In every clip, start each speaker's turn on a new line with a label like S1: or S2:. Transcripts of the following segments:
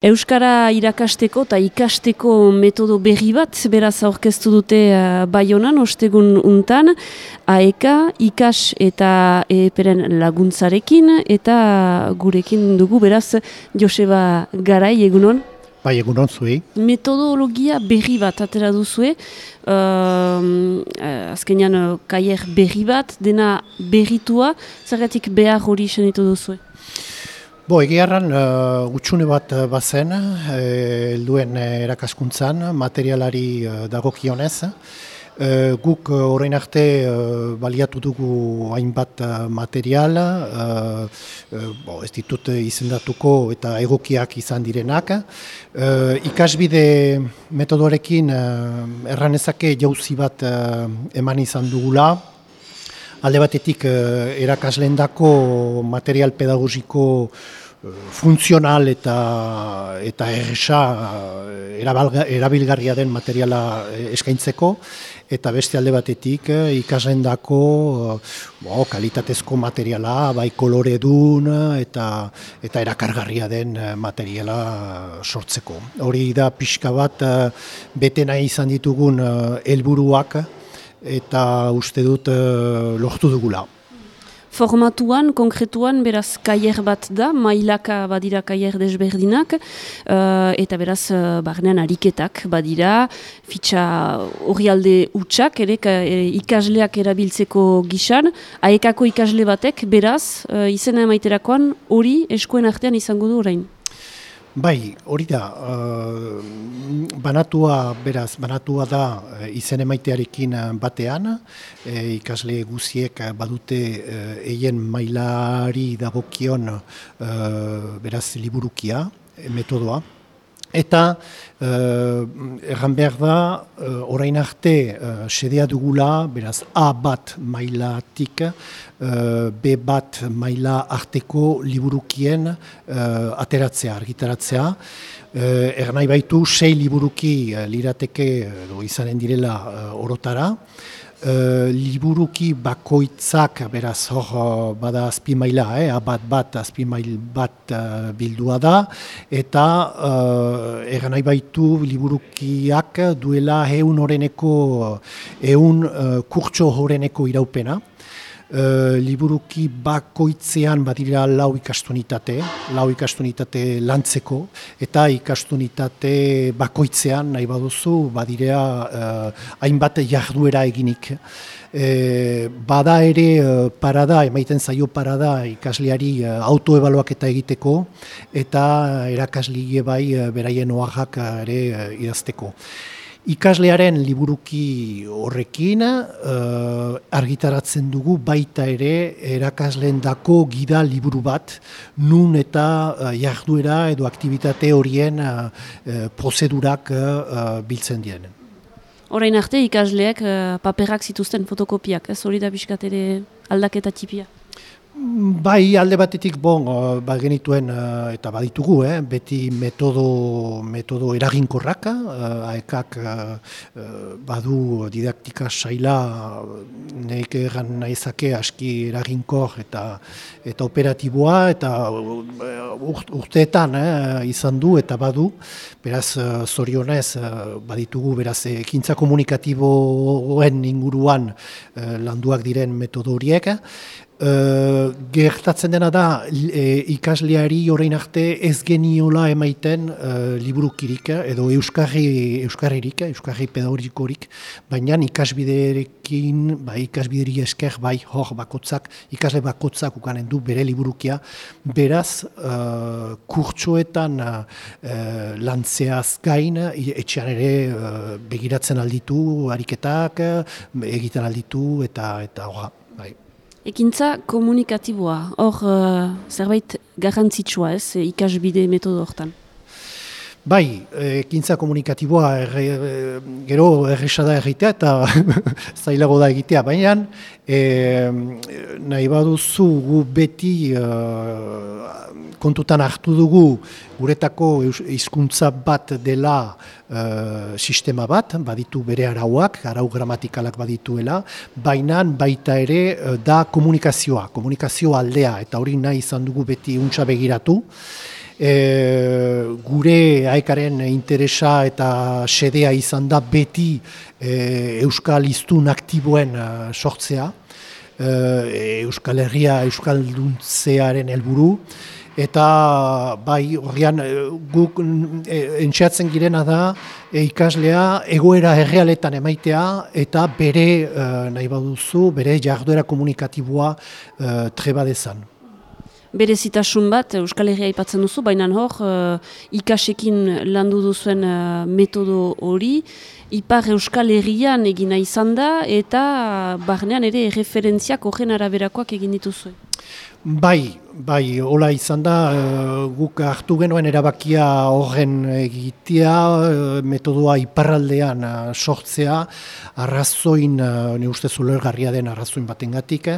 S1: Euskara irakasteko eta ikasteko metodo berri bat, beraz aurkeztu dute Baionan, ostegun untan, AEK, ikas eta EEPren laguntzarekin, eta gurekin dugu, beraz, Joseba Garai, egunon?
S2: Bai, egunon zuei.
S1: Metodologia berri bat atera duzue, azkenean kaier berri bat, dena berritua, zergatik behar hori senitu duzue?
S2: Egiarran gutxune bat bazen, helduen erakaskuntzan, materialari dagokionez. Guk orain arte baliatu dugu hainbat material, ez ditut izendatuko eta egokiak izan direnak. Ikasbide metodoarekin erranezake jauzi bat eman izan dugula. Alde batetik erakasleendako material pedagogiko funtzional eta erresa erabilgarria den materiala eskaintzeko, eta beste alde batetik ikasleendako kalitatezko materiala, bai koloredun eta erakargarria den materiala sortzeko. Hori da pixka bat bete nahi izan ditugun helburuak, eta uste dut lortu dugula.
S1: Formatuan, konkretuan, beraz, kaier bat da, mailaka badira kaier desberdinak, eta beraz, barnean ariketak badira, fitxa orrialde hutsak, ere ikasleak erabiltzeko gisan, AEK-ko ikasle batek, beraz, izena emaiterakoan, hori eskuen artean izango du orain.
S2: Bai, hori da, banatua da izen emaitearekin batean, ikasle guziek badute eien mailari dagokion beraz liburukia, metodoa. Eta erran behar da, orain arte sedea dugula, beraz A bat mailatik, B bat maila arteko liburukien ateratzea, argitaratzea. Erran nahi baitu 6 liburuki lirateke izanen direla orotara. Liburuki bakoitzak, beraz hor bada azpimaila, bat azpimail bat bildua da, eta erran nahi baitu liburukiak duela 100 kurtso horeneko iraupena. Liburuki bakoitzean badira 4 ikastunitate lantzeko, eta ikastunitate bakoitzean nahi baduzu badira hainbat jarduera eginik. Bada ere parada, emaiten zaio parada ikasleari autoebaluaketa egiteko, eta erakasle bai beraien oaxak ere idazteko. Ikaslearen liburuki horrekin argitaratzen dugu baita ere erakasleendako gida liburu bat, nun eta jarduera edo aktibitate horien prozedurak biltzen diren.
S1: Orain arte ikasleak paperak zituzten fotokopiak, ez hori da pixkat ere aldaketa tipia?
S2: Bai, alde batetik genituen eta baditugu, beti metodo eraginkorrak, AEK-ak badu didaktika saila, nek erran nahizake aski eraginkor eta operatiboa, eta urteetan izan du eta badu, beraz zorionez baditugu, beraz ekintza komunikatiboen inguruan landuak diren metodo horiek. Gertatzen dena da ikasleari orain arte ez geniola emaiten liburukirik edo euskarririk, euskarri pedagogikorik, baina ikasbiderekin, ikasbideri esker, hor bakotzak, ikasle bakotzak ukanen du bere liburukia, beraz kurtsoetan lantzeaz gain, etxean ere begiratzen alditu, ariketak, egiten alditu eta horra.
S1: Ekintza komunikatiboa, hor zerbait garrantzitsua ez, ikasbide metodo hortan?
S2: Bai, ekintza komunikatiboa gero erresa da egitea eta zailago da egitea, baina nahi baduzu gu beti kontutan hartu dugu guretako hizkuntza bat dela sistema bat, baditu bere arauak, arau gramatikalak badituela, baina baita ere da komunikazio aldea, eta hori nahi izan dugu beti untsa begiratu. Gure aekaren interesa eta xedea izan da beti euskal hiztun aktiboen sortzea, Euskal Herria euskalduntzearen helburu, eta bai horrean guk entxeatzen girena da ikaslea egoera errealetan emaitea eta bere, nahi baduzu, bere jarduera komunikatiboa treba dezan.
S1: Berezitasun bat, Euskal Herria aipatzen duzu, baina hor, ikasekin landu duzuen metodo hori, Ipar Euskal Herrian egina izan da, eta barnean ere referentziak horren araberakoak egin dituzue.
S2: Bai, hola izan da, guk hartu genuen erabakia horren egitea, metodoa iparraldean sortzea, arrazoin, ne ustez ulergarria den arrazoin batengatik.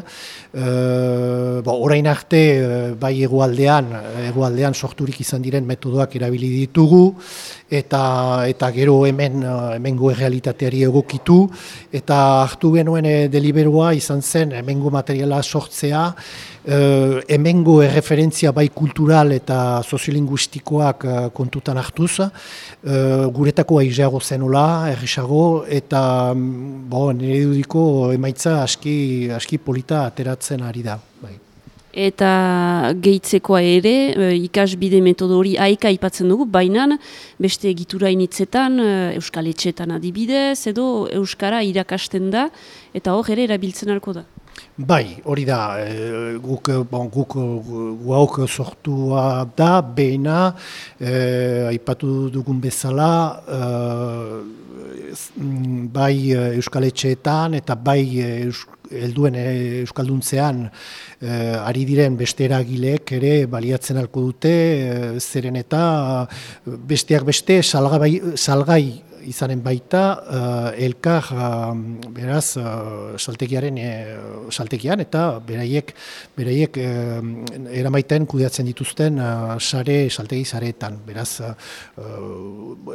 S2: Orain arte, bai hegoaldean sorturik izan diren metodoak erabili ditugu, eta gero hemengo errealitateari egokitu, eta hartu genuen deliberoa izan zen hemengo materiala sortzea, hemengo erreferentzia bai kultural eta soziolinguistikoak kontutan hartuz, guretako aizeago zenula, erresago, eta nire dudiko emaitza aski polita ateratzen ari da. Bai.
S1: Eta gehitzekoa ere, ikasbide metodo hori aika aipatzen dugu, baina beste egitura initzetan, euskal etxetan adibidez, edo euskara irakasten da, eta hor ere erabiltzen alko da.
S2: Bai, hori da, guk sortua da, behina, aipatu dugun bezala, bai euskal etxeetan eta bai helduen euskalduntzean ari diren beste eragileek ere baliatzen alko dute, zeren eta besteak beste salgai izanen baita elkar beraz saltegian eta beraiek eramaiten kudeatzen dituzten saltegi sareetan. Beraz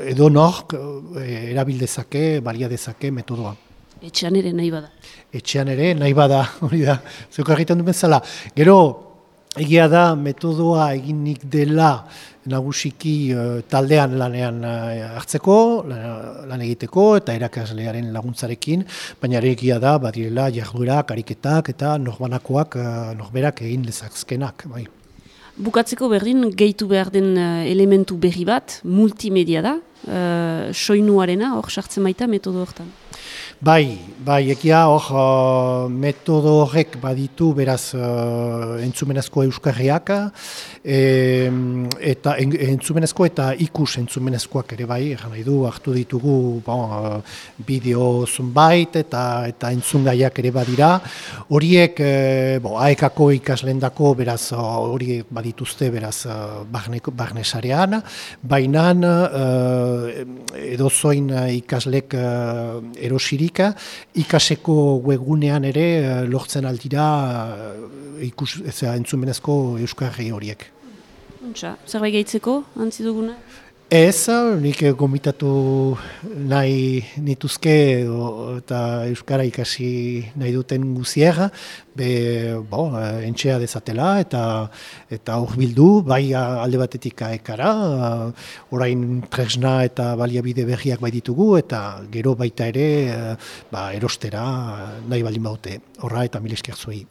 S2: edo nork erabil dezake, balia dezake metodoa.
S1: Etxean ere nahi bada.
S2: Etxean ere nahi bada, hori da, zeuk egiten duen zela. Gero, egia da metodoa eginik dela nagusiki taldean lanean hartzeko, lan egiteko eta erakaslearen laguntzarekin, baina ere egia da badirela jarduerak, ariketak eta norberak egin lezazkenak. Bai.
S1: Bukatzeko berdin, gehitu behar den elementu berri bat, multimedia da, soinuarena, hor sartzen baita metodo hortan.
S2: Bai, egia hor metodo horrek baditu beraz entzumenezko euskarriak, eta entzumenezko eta ikus entzumenezkoak ere bai, egan nahi du, hartu ditugu bideo zunbait eta entzungaiak ere badira. Horiek aekako ikaslendako beraz horiek badituzte beraz barnesarean, baina edozoin ikaslek erosirik, ikaseko webgunean ere lortzen aldira entzumenezko euskarri horiek.
S1: Zerbait gehitzeko, antzi duguna?
S2: Ez, nik gomitatu nahi nituzke eta euskara ikasi nahi duten guzier, entxea dezatela eta hurbildu, bai alde batetik aekara, orain tresna eta baliabide berriak bai ditugu, eta gero baita ere erostera nahi baldin baute. Horra eta mil esker zuei.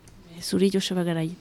S1: Zuri Joseba Garai.